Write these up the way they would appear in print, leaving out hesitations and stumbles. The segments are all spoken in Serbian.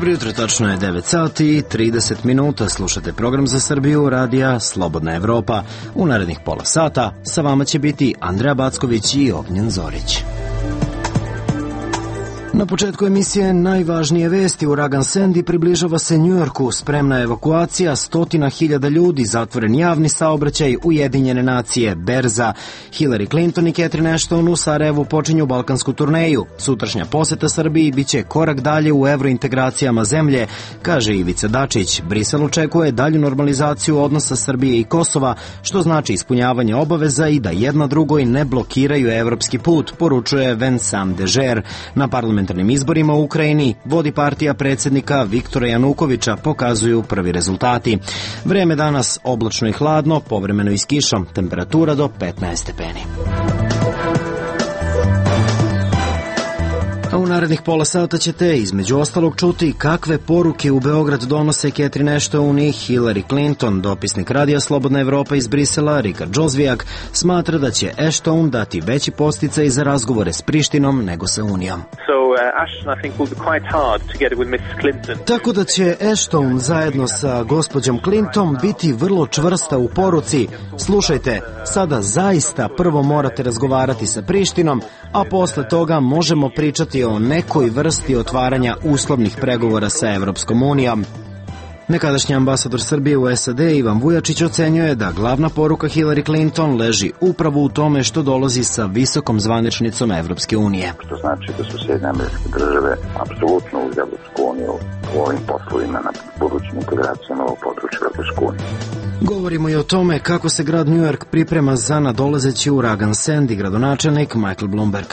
Dobro jutro, tačno je 9 sati i 30 minuta. Slušate program za Srbiju radija Slobodna Evropa. U narednih pola sata sa vama će biti Andreja Backović i Ognjen Zorić. Na početku emisije najvažnije vesti. Uragan Sandy približava se Njujorku, spremna evakuacija 100.000 ljudi, zatvoren javni saobraćaj, Ujedinjene nacije, berza. Hillary Clinton i Catherine Ashton u Sarajevu počinju balkansku turneju. Sutrašnja poseta Srbiji biće korak dalje u evrointegracijama zemlje, kaže Ivica Dačić. Brisel očekuje dalju normalizaciju odnosa Srbije i Kosova, što znači ispunjavanje obaveza i da jedna drugoj ne blokiraju evropski put, poručuje Vincent Dežer. Na parlamentarnim izborima u Ukrajini vodi partija predsjednika Viktora Janukovića, pokazuju prvi rezultati. Vreme danas oblačno i hladno, povremeno i s kišom, temperatura do 15 stepeni. A u narednih pola sata ćete između ostalog čuti kakve poruke u Beograd donose Catherine Ashton i Hillary Clinton. Dopisnik radija Slobodna Evropa iz Brisela, Rikard Džozvijak, smatra da će Ashton dati veći podsticaj za razgovore s Prištinom nego sa Unijom. Tako da će Ashton zajedno sa gospođom Clinton biti vrlo čvrsta u poruci. Slušajte, sada zaista prvo morate razgovarati sa Prištinom, a posle toga možemo pričati o nekoj vrsti otvaranja uslovnih pregovora sa Evropskom unijom. Nekadašnji ambasador Srbije u SAD Ivan Vujačić ocenjuje da glavna poruka Hillary Clinton leži upravo u tome što dolazi sa visokom zvaničnicom Evropske unije. Što znači da su Sjedinjene Američke Države apsolutno uz Evropsku uniju u ovim poslovima na budućim integracijama u području Evropske unije. Govorimo i o tome kako se grad New York priprema za nadolazeći uragan Sandy, gradonačelnik Michael Bloomberg.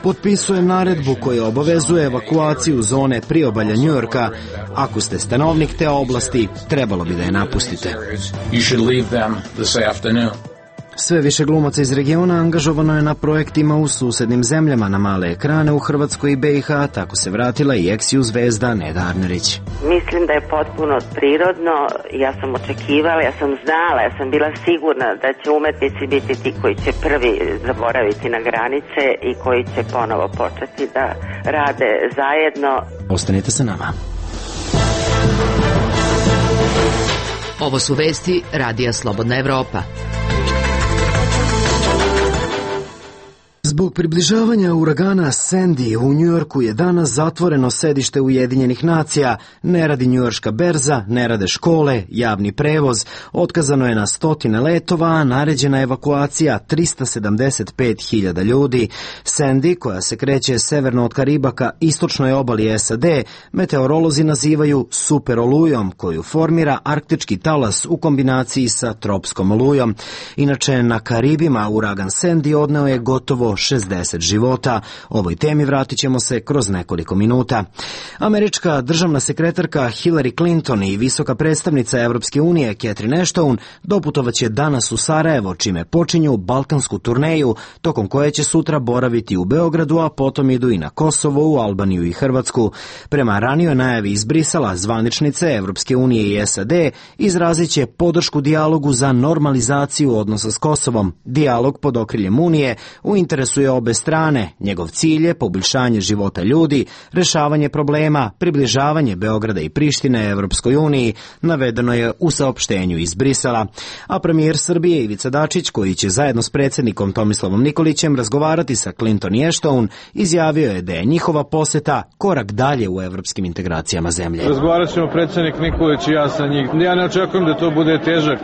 Potpisujem naredbu koja obavezuje evakuaciju zone priobalja New Yorka. Ako ste stanovnik te oblasti, trebalo bi da je napustite. Sve više glumaca iz regiona angažovano je na projektima u susednim zemljama na male ekrane u Hrvatskoj i BiH, tako se vratila i ex-ju zvezda Neda Arnerić. Mislim da je potpuno prirodno, ja sam očekivala, ja sam znala, ja sam bila sigurna da će umetnici biti ti koji će prvi zaboraviti na granice i koji će ponovo početi da rade zajedno. Ostanite sa nama. Ovo su vesti radija Slobodna Evropa. Zbog približavanja uragana Sandy u Njujorku je danas zatvoreno sedište Ujedinjenih nacija, ne radi njujorška berza, ne rade škole, javni prevoz, otkazano je na 100 letova, a naređena evakuacija 375.000 ljudi. Sandy, koja se kreće severno od Kariba ka istočnoj obali SAD, meteorolozi nazivaju super olujom, koju formira arktički talas u kombinaciji sa tropskom olujom. Inače, na Karibima uragan Sandy odneo je gotovo 60 života. Ovoj temi vratit ćemo se kroz nekoliko minuta. Američka državna sekretarka Hillary Clinton i visoka predstavnica Evropske unije Catherine Ashton doputovaće danas u Sarajevo, čime počinju balkansku turneju, tokom koje će sutra boraviti u Beogradu, a potom idu i na Kosovo, u Albaniju i Hrvatsku. Prema ranijoj najavi iz Brisela, zvaničnice Evropske unije i SAD izrazit će podršku dijalogu za normalizaciju odnosa s Kosovom. Dijalog pod okriljem Unije u interesu je obe strane. Njegov cilj je poboljšanje života ljudi, rešavanje problema, približavanje Beograda i Prištine Evropskoj uniji, navedeno je u saopštenju iz Brisela. A premijer Srbije Ivica Dačić, koji će zajedno s predsjednikom Tomislavom Nikolićem razgovarati sa Clinton i Ashton, izjavio je da je njihova poseta korak dalje u evropskim integracijama zemlje. Razgovarat ćemo predsjednik Nikolić i ja sa njih. Ja ne očekujem da to bude težak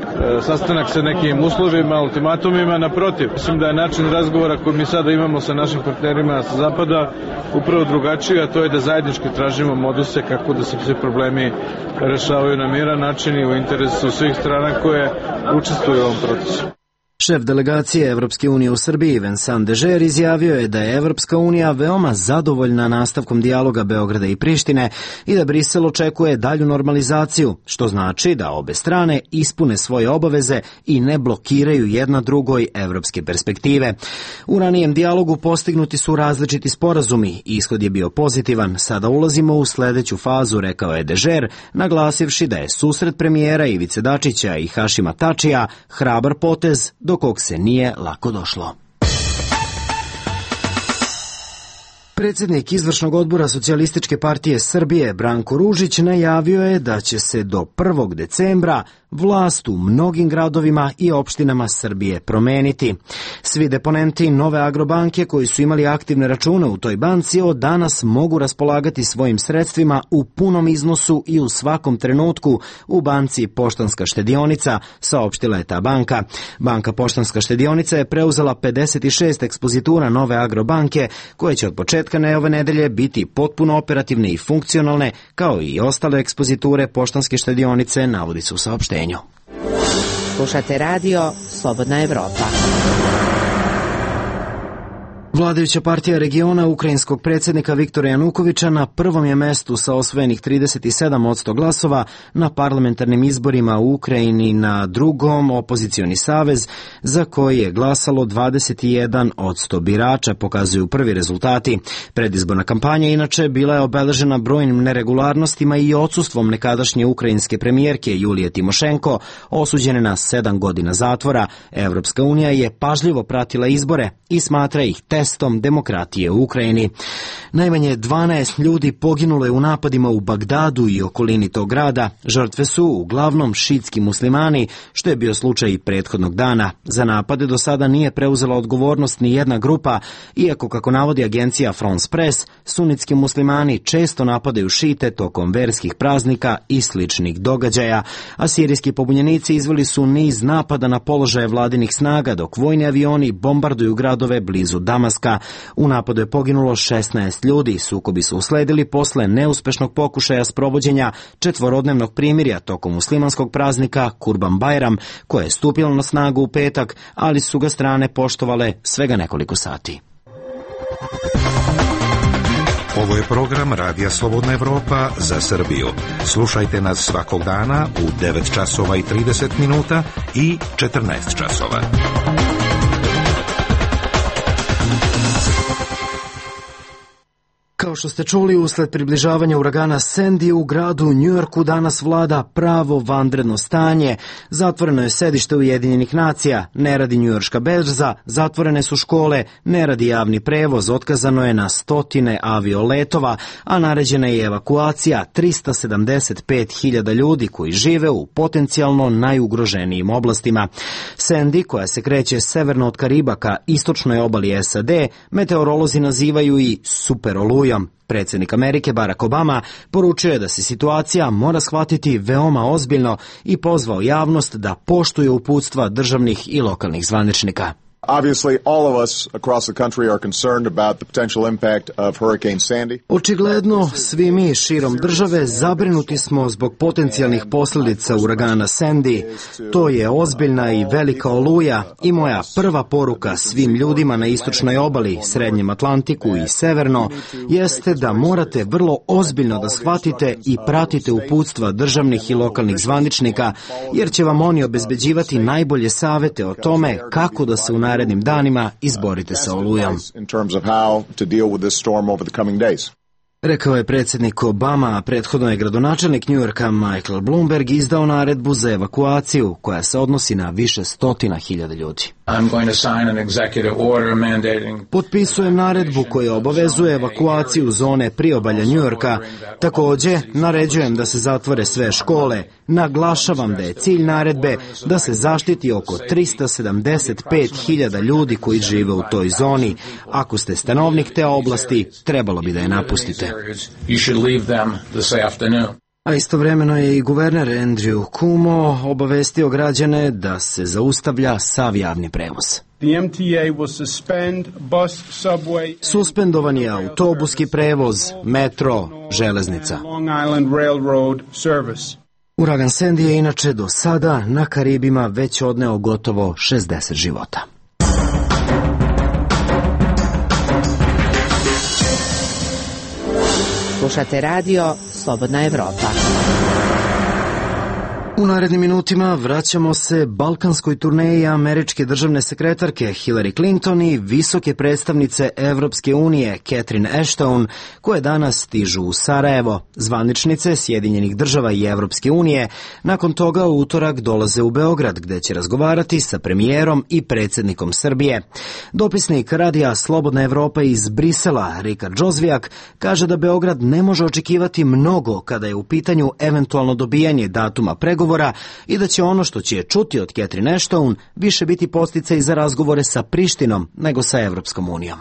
sastanak sa nekim uslovima, ultimatumima, naprotiv. Mislim da je način razgovora koji mi sada imamo sa našim partnerima sa Zapada upravo drugačiji, a to je da zajednički tražimo moduse kako da se svi problemi rešavaju na miran način i u interesu svih strana koje učestvuju u ovom procesu. Šef delegacije Evropske unije u Srbiji Vincent Dežer izjavio je da je Evropska unija veoma zadovoljna nastavkom dijaloga Beograda i Prištine i da Brisel očekuje dalju normalizaciju, što znači da obe strane ispune svoje obaveze i ne blokiraju jedna drugoj evropske perspektive. U ranijem dijalogu postignuti su različiti sporazumi i ishod je bio pozitivan. Sada ulazimo u sledeću fazu, rekao je Dežer, naglasivši da je susret premijera Ivice Dačića i Hašima Tačija hrabar potez do kog se nije lako došlo. Predsjednik izvršnog odbora Socijalističke partije Srbije Branko Ružić najavio je da će se do 1. decembra vlast u mnogim gradovima i opštinama Srbije promeniti. Svi deponenti Nove Agrobanke koji su imali aktivne račune u toj banci od danas mogu raspolagati svojim sredstvima u punom iznosu i u svakom trenutku u banci Poštanska štedionica, saopštila je ta banka. Banka Poštanska štedionica je preuzela 56 ekspozitura Nove Agrobanke koje će od početka ove nedelje biti potpuno operativne i funkcionalne, kao i ostale ekspoziture Poštanske štedionice, navodi se u saopštenju. Slušate radio Slobodna Evropa. Vladajuća partija regiona ukrajinskog predsjednika Viktora Janukovića na prvom je mestu sa osvojenih 37% glasova na parlamentarnim izborima u Ukrajini, na drugom opozicioni savez za koji je glasalo 21% birača, pokazuju prvi rezultati. Predizborna kampanja inače bila je obeležena brojnim neregularnostima i odsustvom nekadašnje ukrajinske premijerke Julije Timošenko, osuđene na 7 godina zatvora. Evropska unija je pažljivo pratila izbore i smatra ih testom demokratije u Ukrajini. Najmanje 12 ljudi poginulo je u napadima u Bagdadu i okolini tog grada. Žrtve su uglavnom šitski muslimani, što je bio slučaj i prethodnog dana. Za napade do sada nije preuzela odgovornost ni jedna grupa, iako, kako navodi agencija France Press, sunitski muslimani često napadaju šite tokom verskih praznika i sličnih događaja, a sirijski pobunjenici izveli su niz napada na položaje vladinih snaga, dok vojni avioni bombarduju gradove blizu Damaska. U napadu je poginulo 16 ljudi. Sukobi su usledili posle neuspešnog pokušaja sprovođenja četvorodnevnog primirja tokom muslimanskog praznika Kurban Bajram, koje je stupilo na snagu u petak, ali su ga strane poštovale svega nekoliko sati. Ovo je program Radija Slobodna Evropa za Srbiju. Slušajte nas svakog dana u 9 časova i 30 minuta i 14 časova. Kao što ste čuli, usled približavanja uragana Sandy u gradu Njujorku danas vlada pravo vanredno stanje. Zatvoreno je sedište Ujedinjenih nacija, ne radi njujorška berza, zatvorene su škole, ne radi javni prevoz, otkazano je na stotine avioletova, a naređena je evakuacija 375.000 ljudi koji žive u potencijalno najugroženijim oblastima. Sandy, koja se kreće severno od Kariba ka istočnoj obali SAD, meteorolozi nazivaju i superolujom. Predsjednik Amerike Barack Obama poručio je da se situacija mora shvatiti veoma ozbiljno i pozvao javnost da poštuje uputstva državnih i lokalnih zvaničnika. Obviously, all of us across the country are concerned about the potential impact of Hurricane Sandy. Očigledno, svi mi širom države zabrinuti smo zbog potencijalnih posljedica uragana Sandy. To je ozbiljna i velika oluja i moja prva poruka svim ljudima na istočnoj obali, Srednjem Atlantiku i severno jeste da morate vrlo ozbiljno da shvatite i pratite uputstva državnih i lokalnih zvaničnika, jer će vam oni obezbeđivati najbolje savete o tome kako da se u narednim danima izborite sa olujom. Rekao je predsjednik Obama, a prethodno je gradonačelnik Njujorka Michael Bloomberg izdao naredbu za evakuaciju koja se odnosi na više stotina hiljada ljudi. Potpisujem naredbu koja obavezuje evakuaciju zone priobalja Njujorka. Također, naređujem da se zatvore sve škole. Naglašavam da je cilj naredbe da se zaštiti oko 375.000 ljudi koji žive u toj zoni. Ako ste stanovnik te oblasti, trebalo bi da je napustite. A istovremeno je i guverner Andrew Cuomo obavestio građane da se zaustavlja sav javni prevoz. Suspendovan je autobuski prevoz, metro, železnica. Uragan Sandy je inače do sada na Karibima već odneo gotovo 60 života. Slušate radio Slobodna Evropa. U narednim minutima vraćamo se balkanskoj turneji američke državne sekretarke Hillary Clinton i visoke predstavnice Evropske unije Catherine Ashton, koje danas stižu u Sarajevo. Zvaničnice Sjedinjenih država i Evropske unije nakon toga u utorak dolaze u Beograd, gde će razgovarati sa premijerom i predsjednikom Srbije. Dopisnik radija Slobodna Evropa iz Brisela, Rikard Džozvijak, kaže da Beograd ne može očekivati mnogo kada je u pitanju eventualno dobijanje datuma pregovora i da će ono što će čuti od Catherine Ashton više biti podsticaj za razgovore sa Prištinom nego sa Evropskom unijom.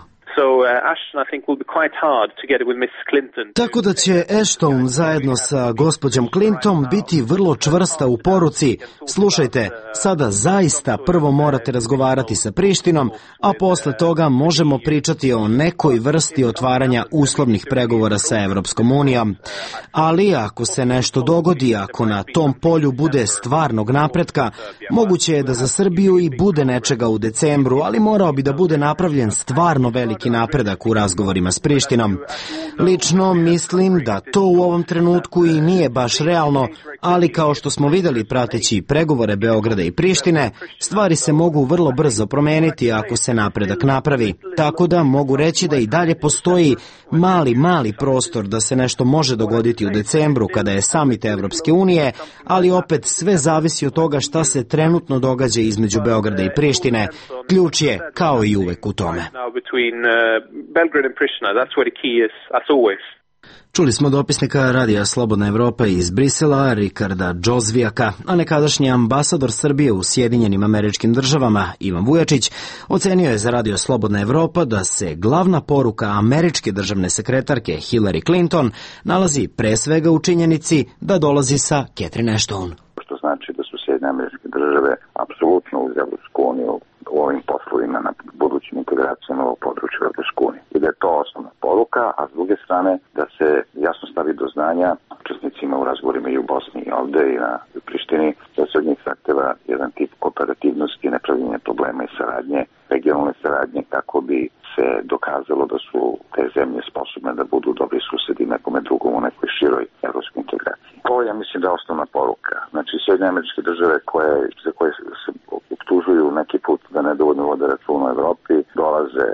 Tako da će Ashton zajedno sa gospođom Clinton biti vrlo čvrsta u poruci: slušajte, sada zaista prvo morate razgovarati sa Prištinom, a posle toga možemo pričati o nekoj vrsti otvaranja uslovnih pregovora sa Evropskom unijom. Ali ako se nešto dogodi, ako na tom polju bude stvarnog napretka, moguće je da za Srbiju i bude nečega u decembru, ali morao bi da bude napravljen stvarno veliki napredak u razgovorima s Prištinom. Lično mislim da to u ovom trenutku i nije baš realno, ali kao što smo vidjeli prateći pregovore Beograda i Prištine, stvari se mogu vrlo brzo promeniti ako se napredak napravi. Tako da mogu reći da i dalje postoji mali prostor da se nešto može dogoditi u decembru kada je samit Evropske unije, ali opet sve zavisi od toga šta se trenutno događa između Beograda i Prištine. Ključ je, kao i uvek, u tome. Čuli smo dopisnika radija Slobodna Evropa iz Brisela, Rikarda Džozvijaka, a nekadašnji ambasador Srbije u Sjedinjenim Američkim Državama, Ivan Vujačić, ocenio je za radio Slobodna Evropa da se glavna poruka američke državne sekretarke Hillary Clinton nalazi pre svega u činjenici da dolazi sa Catherine Ashton. Što znači da su Sjedinjene Američke Države apsolutno uz Evropsku uniju u ovim poslovima na budućim integracijama u području Evropske unije. I da je to osnovna poruka, a s druge strane da se jasno stavi do znanja učesnicima u razgovorima i u Bosni i ovde i na Prištini, da se od njih zahteva jedan tip kooperativnosti, nepravljenja problema i saradnje, regionalne saradnje, kako bi se dokazalo da su te zemlje sposobne da budu dobri susedi nekome drugom u nekoj široj evropskoj integraciji. To ja mislim da je osnovna poruka. Znači, Sjedinjene Američke Države za koje se optužuju neki put da nedovoljno vode računa u Evropi, dolaze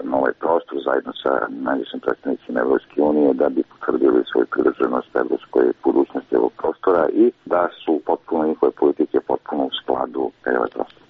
na ovaj prostor zajedno sa najvišim predstavnicima Evropske unije da bi potvrdili svoju privrženost evropskoj budućnosti ovog prostora i da su potpuno njihove politike potpuno u skladu ovaj prostor.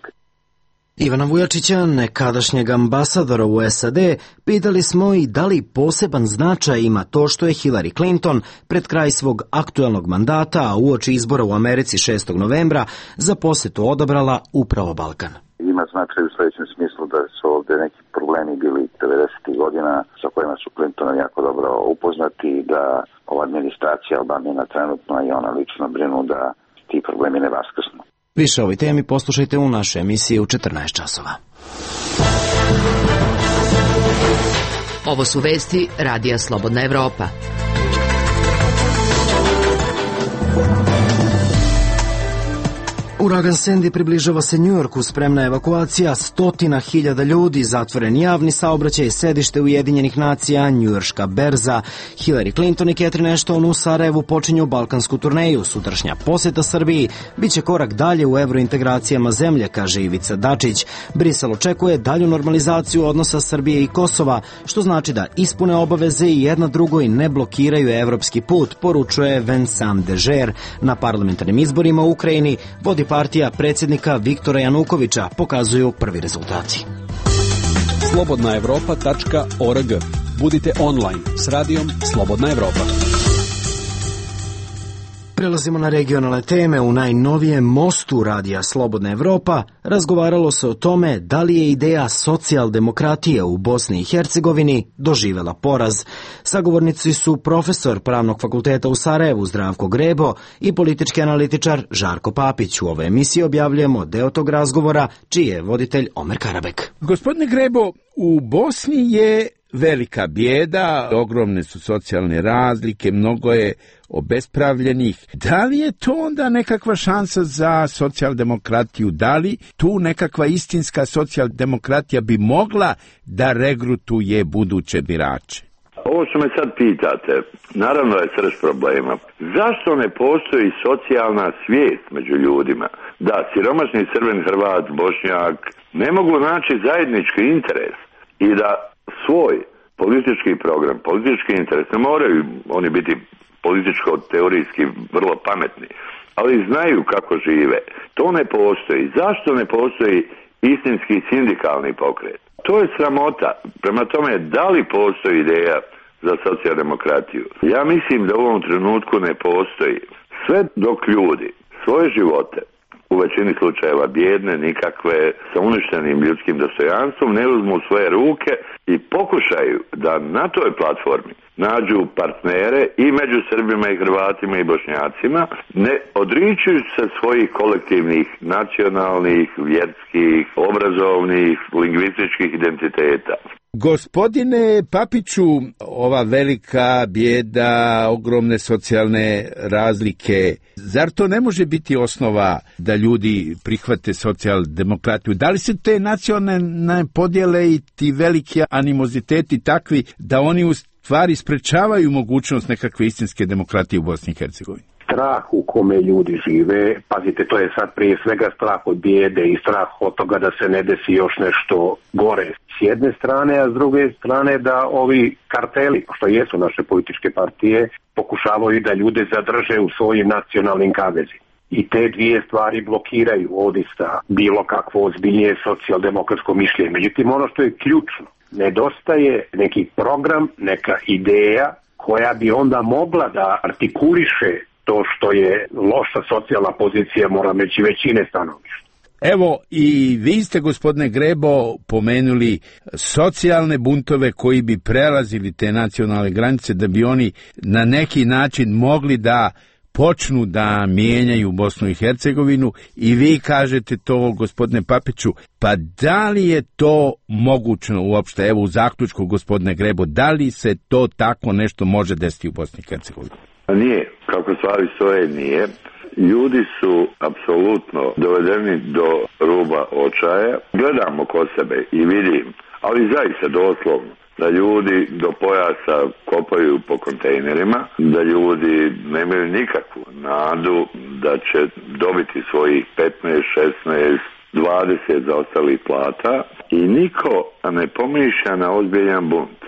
Ivana Vujačića, nekadašnjeg ambasadora u SAD, pitali smo i da li poseban značaj ima to što je Hillary Clinton pred kraj svog aktuelnog mandata, a uoči izbora u Americi 6. novembra, za posetu odabrala upravo Balkan. Ima značaj u sledećem smislu da su ovde neki problemi bili 90. godina sa kojima su Clinton jako dobro upoznati i da ova administracija Obamina trenutno i ona lično brinu da ti problemi ne vaskrsnu. Više o ovoj temi poslušajte u našoj emisiji u 14 časova. Ovo su vesti Radija Slobodna Evropa. Uragan Sandy približava se Njujorku, spremna evakuacija 100.000 ljudi, zatvoren javni saobraćaj, sedište Ujedinjenih nacija, njujorška berza. Hillary Clinton i Catherine Ashton u Sarajevu počinju balkansku turneju. Sutrašnja poseta Srbiji biće korak dalje u evrointegracijama zemlje, kaže Ivica Dačić. Brisel očekuje dalju normalizaciju odnosa Srbije i Kosova, što znači da ispune obaveze i jedna drugoj ne blokiraju evropski put, poručuje Vincent Dežer. Na parlamentarnim izborima u Ukrajini vodi partija predsjednika Viktora Janukovića, pokazuju prvi rezultati. slobodnaevropa.org. Budite online s radijom Slobodna Evropa. Prelazimo na regionalne teme. U najnovijem mostu radija Slobodna Evropa razgovaralo se o tome da li je ideja socijaldemokratije u Bosni i Hercegovini doživela poraz. Sagovornici su profesor Pravnog fakulteta u Sarajevu Zdravko Grebo i politički analitičar Žarko Papić. U ovoj emisiji objavljujemo deo tog razgovora, čiji je voditelj Omer Karabek. Gospodine Grebo, u Bosni je velika bijeda, ogromne su socijalne razlike, mnogo je obespravljenih. Da li je to onda nekakva šansa za socijaldemokratiju? Da li tu nekakva istinska socijaldemokratija bi mogla da regrutuje buduće birače? Ovo ovo što me sad pitate, naravno je srž problema. Zašto ne postoji socijalna svijest među ljudima? Da, siromašni Srbin, Hrvat, Bošnjak ne mogu naći zajednički interes i da svoj politički program, politički interes, ne moraju oni biti političko-teorijski vrlo pametni, ali znaju kako žive. To ne postoji. Zašto ne postoji istinski sindikalni pokret? To je sramota. Prema tome, da li postoji ideja za socijaldemokratiju? Ja mislim da u ovom trenutku ne postoji. Sve dok ljudi svoje živote, u većini slučajeva bijedne, nikakve, sa uništenim ljudskim dostojanstvom, ne uzmu u svoje ruke i pokušaju da na toj platformi nađu partnere i među Srbima i Hrvatima i Bošnjacima, ne odričuju se svojih kolektivnih, nacionalnih, vjerskih, obrazovnih, lingvističkih identiteta. Gospodine Papiću, ova velika bijeda, ogromne socijalne razlike, zar to ne može biti osnova da ljudi prihvate socijaldemokratiju? Da li su te nacionalne podjele i ti veliki animoziteti takvi da oni u stvari sprečavaju mogućnost nekakve istinske demokratije u Bosni i Hercegovini? Strah u kome ljudi žive, pazite, to je sad prije svega strah od bijede i strah od toga da se ne desi još nešto gore s jedne strane, a s druge strane da ovi karteli, što jesu naše političke partije, pokušavaju da ljude zadrže u svojim nacionalnim kavezima. I te dvije stvari blokiraju odista bilo kakvo ozbiljnije socijaldemokratsko mišljenje. Međutim, ono što je ključno, nedostaje neki program, neka ideja koja bi onda mogla da artikuliše to što je loša socijalna pozicija, moram reći, većine stanovništva. Evo, i vi ste, gospodine Grebo, pomenuli socijalne buntove koji bi prelazili te nacionalne granice, da bi oni na neki način mogli da počnu da mijenjaju Bosnu i Hercegovinu, i vi kažete to, gospodine Papiću, pa da li je to mogućno uopšte, evo u zaključku, gospodine Grebo, da li se to tako nešto može desiti u Bosni i Hercegovini? Nije, kako stvari stoje, nije. Ljudi su apsolutno dovedeni do ruba očaja. Gledamo kod sebe i vidim, ali zaista doslovno, da ljudi do pojasa kopaju po kontejnerima, da ljudi nemaju nikakvu nadu da će dobiti svojih 15, 16, 20 zaostalih plata i niko ne pomišlja na ozbiljan bunt.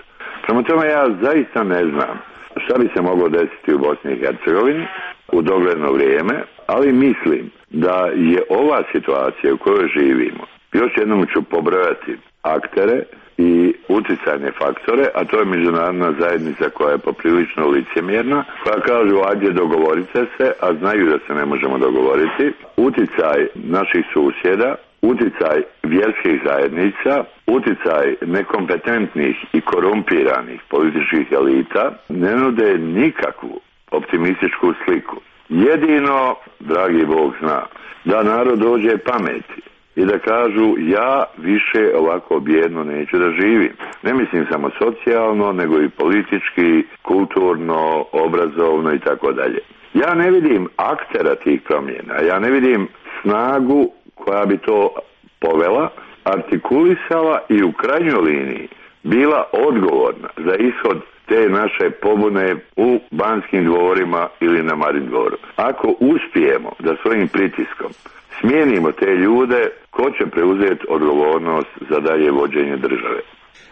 Prema tome, ja zaista ne znam šta bi se moglo desiti u Bosni i Hercegovini u dogledno vrijeme, ali mislim da je ova situacija u kojoj živimo, još jednom ću pobrojati aktere i utjecajne faktore, a to je međunarodna zajednica koja je poprilično licemjerna, koja kažu ajde dogovorite se, a znaju da se ne možemo dogovoriti, utjecaj naših susjeda, utjecaj vjerskih zajednica, utjecaj nekompetentnih i korumpiranih političkih elita ne nude nikakvu optimističku sliku. Jedino, dragi Bog zna, da narod dođe pameti i da kažu ja više ovako bijedno neću da živim. Ne mislim samo socijalno, nego i politički, kulturno, obrazovno i tako dalje. Ja ne vidim aktera tih promjena, ja ne vidim snagu koja bi to povela, artikulisala i u krajnjoj liniji bila odgovorna za ishod te naše pobune u Banskim dvorima ili na Marin dvoru. Ako uspijemo da svojim pritiskom smijenimo te ljude, ko će preuzeti odgovornost za dalje vođenje države?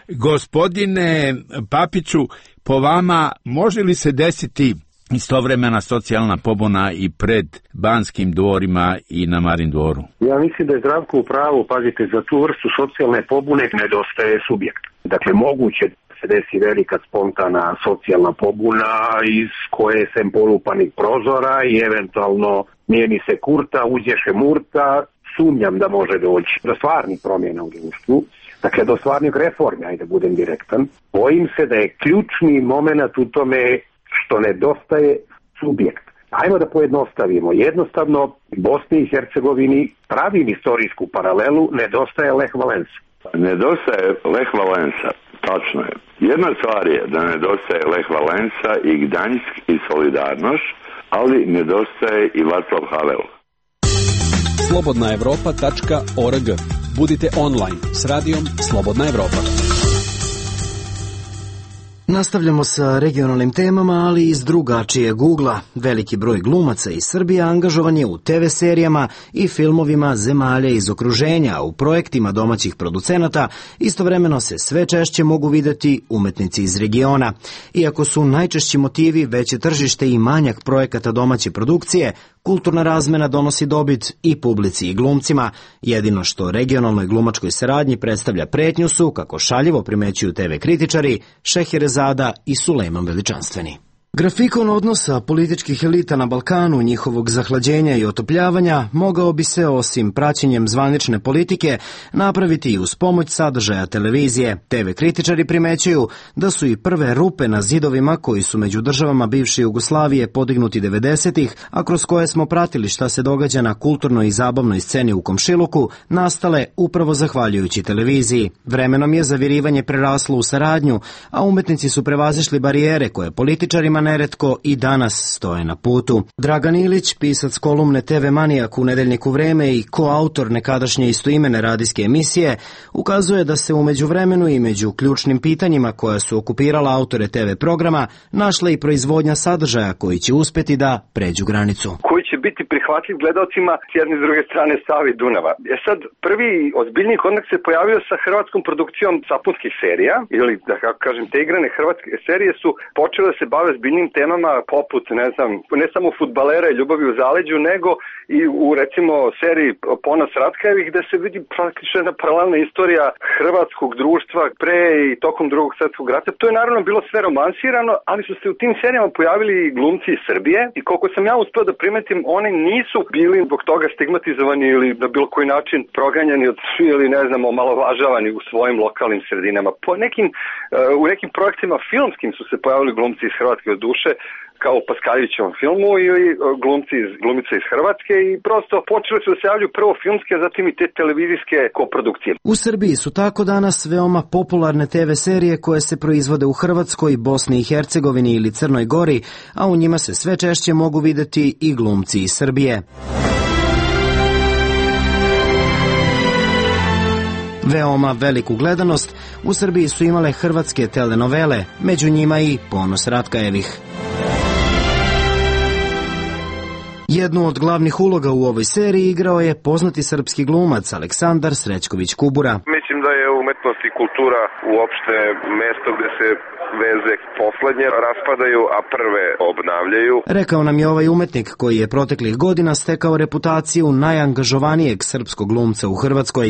Gospodine Papiću, po vama može li se desiti istovremena socijalna pobuna i pred Banskim dvorima i na Marin dvoru? Ja mislim da je Zdravko u pravu, pazite, za tu vrstu socijalne pobune nedostaje subjekt. Dakle, moguće se desi velika spontana socijalna pobuna iz koje se polupanih prozora i eventualno mijeni se Kurta, uđeše Murta, sumnjam da može doći do stvarnih promjena u društvu, dakle do stvarnih reformi, ajde budem direktan. Bojim se da je ključni moment u tome što nedostaje subjekt. Ajmo da pojednostavimo. Jednostavno, Bosni i Hercegovini, pravim istorijsku paralelu, nedostaje Lech Valensa. Nedostaje Lech Valensa, tačno je. Jedna stvar je da nedostaje Lech Valensa i Gdanjsk i Solidarnost, ali nedostaje i Václav Havel. Slobodnaevropa.org. Budite online s radijom Slobodna Evropa. Nastavljamo sa regionalnim temama, ali iz drugačijeg ugla. Veliki broj glumaca iz Srbije angažovan je u TV serijama i filmovima zemalja iz okruženja, a u projektima domaćih producenata istovremeno se sve češće mogu videti umetnici iz regiona. Iako su najčešći motivi veće tržište i manjak projekata domaće produkcije, kulturna razmena donosi dobit i publici i glumcima. Jedino što regionalnoj glumačkoj saradnji predstavlja pretnju su, kako šaljivo primećuju TV kritičari, Šeherezada i Sulejman Veličanstveni. Grafikon odnosa političkih elita na Balkanu, njihovog zahlađenja i otopljavanja, mogao bi se, osim praćenjem zvanične politike, napraviti i uz pomoć sadržaja televizije. TV kritičari primećuju da su i prve rupe na zidovima koji su među državama bivše Jugoslavije podignuti 90-ih, a kroz koje smo pratili šta se događa na kulturnoj i zabavnoj sceni u komšiluku, nastale upravo zahvaljujući televiziji. Vremenom je zavirivanje preraslo u saradnju, a umetnici su prevazišli barijere koje političarima neretko i danas stoje na putu. Dragan Ilić, pisac kolumne TV Manijak u nedeljniku Vreme i koautor nekadašnje istoimene radijske emisije, ukazuje da se u međuvremenu i među ključnim pitanjima koja su okupirala autore TV programa našla i proizvodnja sadržaja koji će uspeti da pređu granicu. Koji će biti prihvatljiv gledalcima s jedne i druge strane Save i Dunava. Sad, prvi ozbiljniji kontakt se pojavio sa hrvatskom produkcijom sapunskih serija, ili da kako kažem, te igrane hrvatske serije su počele da se bave ozbiljnim temama poput, ne samo fudbalera i ljubavi u zaleđu, nego i u, recimo, seriji Ponos Ratkajevih, gde se vidi praktično jedna paralelna istorija hrvatskog društva pre i tokom Drugog svjetskog rata. To je naravno bilo sve romansirano, ali su se u tim serijama pojavili i glumci iz Srbije i koliko sam ja uspeo da primetim, oni nisu bili zbog toga stigmatizovani ili na bilo koji način proganjani ili omalovažavani u svojim lokalnim sredinama. U nekim projektima filmskim su se pojavili glumci iz Hrvatske od duše, kao u Paskaljevićevom filmu, ili glumice iz Hrvatske, i prosto počeli su da se javljaju prvo filmske, a zatim i te televizijske koprodukcije. U Srbiji su tako danas veoma popularne TV serije koje se proizvode u Hrvatskoj, Bosni i Hercegovini ili Crnoj Gori, a u njima se sve češće mogu videti i glumci iz Srbije. Veoma veliku gledanost u Srbiji su imale hrvatske telenovele, među njima i Ponos Ratkajevih. Jednu od glavnih uloga u ovoj seriji igrao je poznati srpski glumac Aleksandar Srećković Kubura. Mislim da je umetnost i kultura uopšte mesto gde se veze poslednje raspadaju, a prve obnavljaju. Rekao nam je ovaj umetnik koji je proteklih godina stekao reputaciju najangažovanijeg srpskog glumca u Hrvatskoj.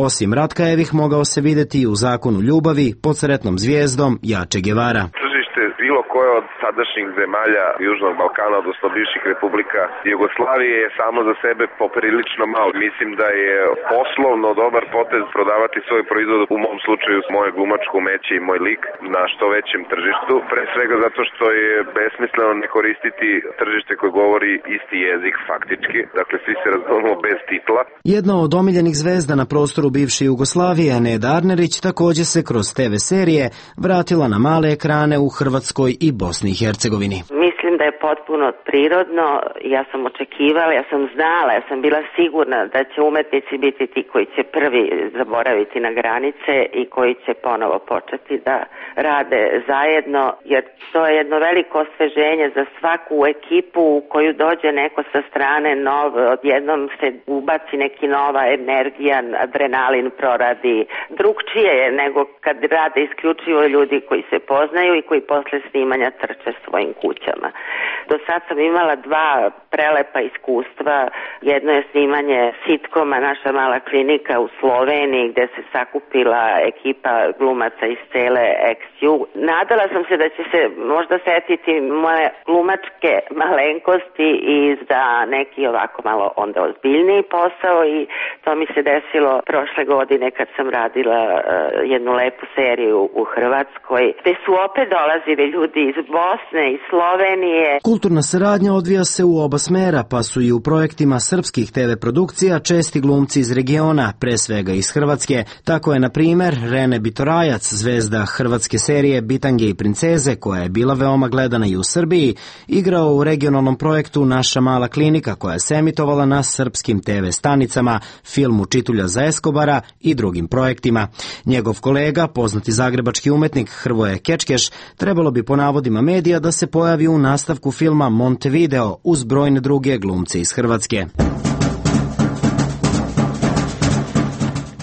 Osim Ratkajevih mogao se videti i u Zakonu ljubavi, Pod sretnom zvijezdom, Ja Che Guevara. Bilo koje od sadašnjih zemalja Južnog Balkana, odnosno bivših republika Jugoslavije, je samo za sebe poprilično malo. Mislim da je poslovno dobar potez prodavati svoj proizvod, u mom slučaju moje glumačko umeće i moj lik, na što većem tržištu. Pre svega zato što je besmisleno ne koristiti tržište koje govori isti jezik faktički. Dakle, svi se razumemo bez titla. Jedna od omiljenih zvezda na prostoru bivše Jugoslavije, Neda Arnerić, također se kroz TV serije vratila na male ekrane u Hrvatskoj i Bosni i Hercegovini. Mislim da je potpuno prirodno, ja sam očekivala, ja sam znala, ja sam bila sigurna da će umetnici biti ti koji će prvi zaboraviti na granice i koji će ponovo početi da rade zajedno, jer to je jedno veliko osveženje za svaku ekipu u koju dođe neko sa strane nov, odjednom se ubaci neki nova energija, adrenalin proradi. Drugčije je nego kad rade isključivo ljudi koji se poznaju i koji posle snimanja trče svojim kućama. Do sad sam imala dva prelepa iskustva. Jedno je snimanje sitkoma Naša mala klinika u Sloveniji, gde se sakupila ekipa glumaca iz cele XU. Nadala sam se da će se možda setiti moje glumačke malenkosti i za neki ovako malo onda ozbiljniji posao, i to mi se desilo prošle godine kad sam radila jednu lepu seriju u Hrvatskoj, gde su opet dolazili ljudi iz Bosne, iz Slovenije, Slovenije. Kulturna saradnja odvija se u oba smera, pa su i u projektima srpskih TV produkcija česti glumci iz regiona, pre svega iz Hrvatske. Tako je, na primer, Rene Bitorajac, zvezda hrvatske serije Bitange i princeze, koja je bila veoma gledana i u Srbiji, igrao u regionalnom projektu Naša mala klinika, koja se emitovala na srpskim TV stanicama, filmu Čitulja za Eskobara i drugim projektima. Njegov kolega, poznati zagrebački umetnik Hrvoje Kečkeš, trebalo bi po navodima medija da se pojavi u nastavku filma Montevideo uz brojne druge glumce iz Hrvatske.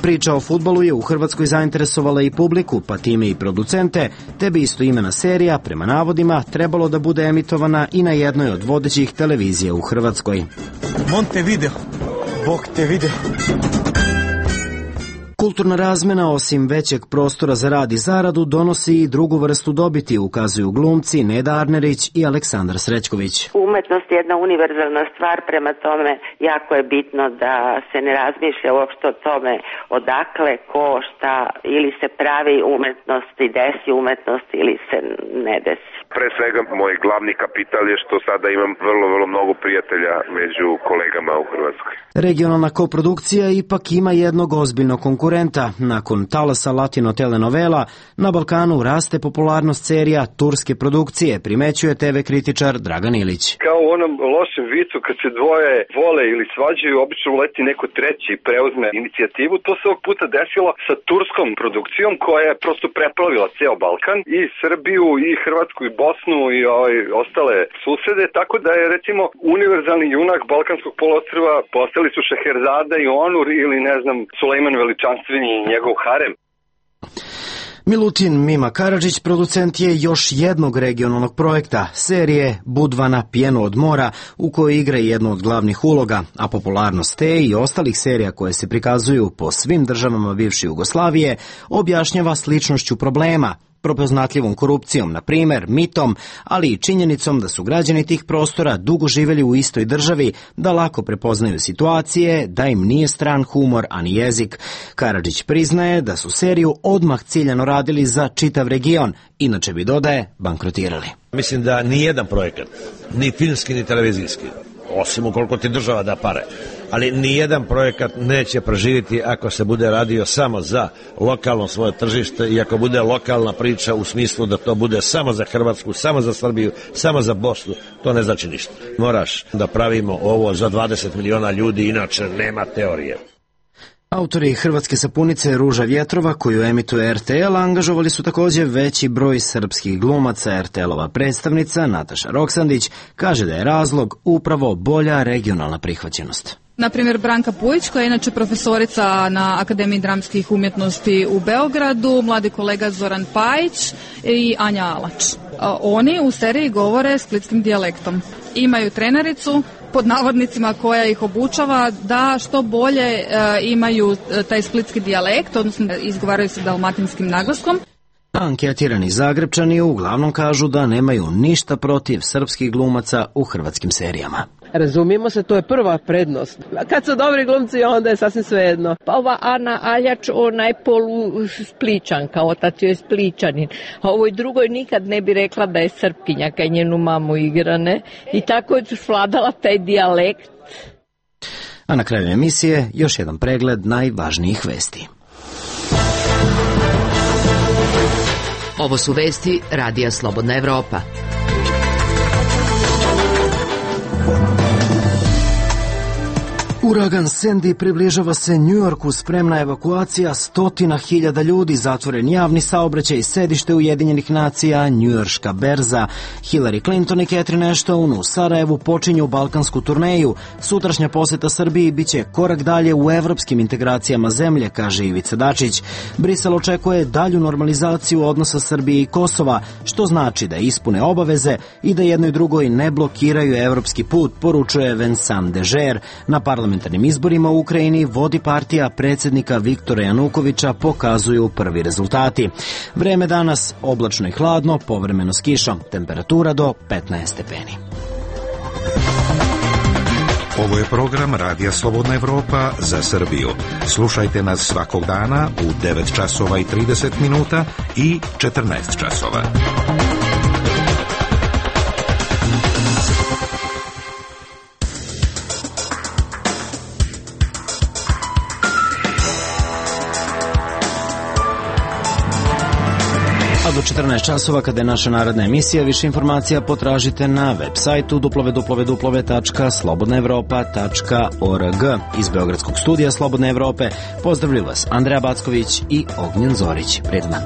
Priča o fudbalu je u Hrvatskoj zainteresovala i publiku, pa time i producente, te bi istoimena serija, prema navodima, trebalo da bude emitovana i na jednoj od vodećih televizija u Hrvatskoj. Montevideo, Bog te video. Kulturna razmena, osim većeg prostora za rad i zaradu, donosi i drugu vrstu dobiti, ukazuju glumci Neda Arnerić i Aleksandar Srećković. Umetnost je jedna univerzalna stvar, prema tome jako je bitno da se ne razmišlja uopšte o tome odakle, ko, šta, ili se pravi umetnost i desi umetnost ili se ne desi. Pre svega, moj glavni kapital je što sada imam vrlo mnogo prijatelja među kolegama u Hrvatskoj. Regionalna koprodukcija ipak ima jednog ozbiljnog konkurenta. Nakon talasa latino telenovela, na Balkanu raste popularnost serija turske produkcije, primećuje TV kritičar Dragan Ilić. Kao u onom lošem vicu, kad se dvoje vole ili svađaju, obično uleti neko treći i preuzme inicijativu. To se ovog puta desilo sa turskom produkcijom koja je prosto preplavila ceo Balkan, i Srbiju, i Hrvatsku, i Bosnu, i ostale susede, tako da je, recimo, univerzalni junak Balkanskog poluostrva postali su Šeherzada i Onur ili, ne znam, Sulejman Veličanstveni i njegov harem. Milutin Mima Karadžić producent je još jednog regionalnog projekta, serije Budvana Pjeno od mora, u kojoj igra jednu od glavnih uloga, a popularnost te i ostalih serija koje se prikazuju po svim državama bivše Jugoslavije objašnjava sličnošću problema, prepoznatljivom korupcijom, na primer, mitom, ali i činjenicom da su građani tih prostora dugo živjeli u istoj državi, da lako prepoznaju situacije, da im nije stran humor, ani jezik. Karadžić priznaje da su seriju odmah ciljano radili za čitav region, inače bi, dodaje, bankrotirali. Mislim da ni jedan projekat, ni filmski, ni televizijski, osim ukoliko ti država da pare, ali nijedan projekat neće preživjeti ako se bude radio samo za lokalno svoje tržište i ako bude lokalna priča u smislu da to bude samo za Hrvatsku, samo za Srbiju, samo za Bosnu, to ne znači ništa. Moraš da pravimo ovo za 20 miliona ljudi, inače nema teorije. Autori hrvatske sapunice Ruža vjetrova, koju emituje RTL, angažovali su također veći broj srpskih glumaca. RTL-ova predstavnica Nataša Roksandić kaže da je razlog upravo bolja regionalna prihvaćenost. Naprimjer, Branka Pujić, koja je inače profesorica na Akademiji dramskih umjetnosti u Beogradu, mladi kolega Zoran Pajić i Anja Alač. Oni u seriji govore splitskim dijalektom. Imaju trenericu, pod navodnicima, koja ih obučava da što bolje imaju taj splitski dijalekt, odnosno izgovaraju se dalmatinskim naglaskom. Anketirani Zagrebčani uglavnom kažu da nemaju ništa protiv srpskih glumaca u hrvatskim serijama. Razumijemo se, to je prva prednost. Kad su dobri glumci, onda je sasvim svejedno. Pa ova Ana Aljač, ona je polu Spličanka, otac je Spličanin. A ovoj drugoj nikad ne bi rekla da je Srpkinja, kaj njenu mamu igrane. I tako je svladala taj dijalekt. A na kraju emisije još jedan pregled najvažnijih vesti. Ovo su vesti Radija Slobodna Evropa. Uragan Sandy približava se Njujorku, spremna evakuacija 100.000 ljudi, zatvoren javni saobraćaj, sedište Ujedinjenih nacija, njujorška berza. Hillary Clinton i Catherine Ashton u Sarajevu počinju balkansku turneju. Sutrašnja poseta Srbiji biće korak dalje u evropskim integracijama zemlje, kaže Ivica Dačić. Brisel očekuje dalju normalizaciju odnosa Srbije i Kosova, što znači da ispune obaveze i da jednoj drugoj ne blokiraju evropski put, poručuje Vincent Dežer. Na parlamentarnim izborima u Ukrajini vodi partija predsjednika Viktora Janukovića, pokazuju prvi rezultati. Vreme danas oblačno i hladno, povremeno s kišom, temperatura do 15 stepeni. Ovo je program Radija Slobodna Evropa za Srbiju. Slušajte nas svakog dana u 9 časova i 30 minuta i 14 časova. A do 14 časova, kada je naša narodna emisija, više informacija potražite na web sajtu www.slobodnaevropa.org. Iz Beogradskog studija Slobodne Evrope pozdravljaju vas Andreja Backović i Ognjen Zorić. Prijetan dan.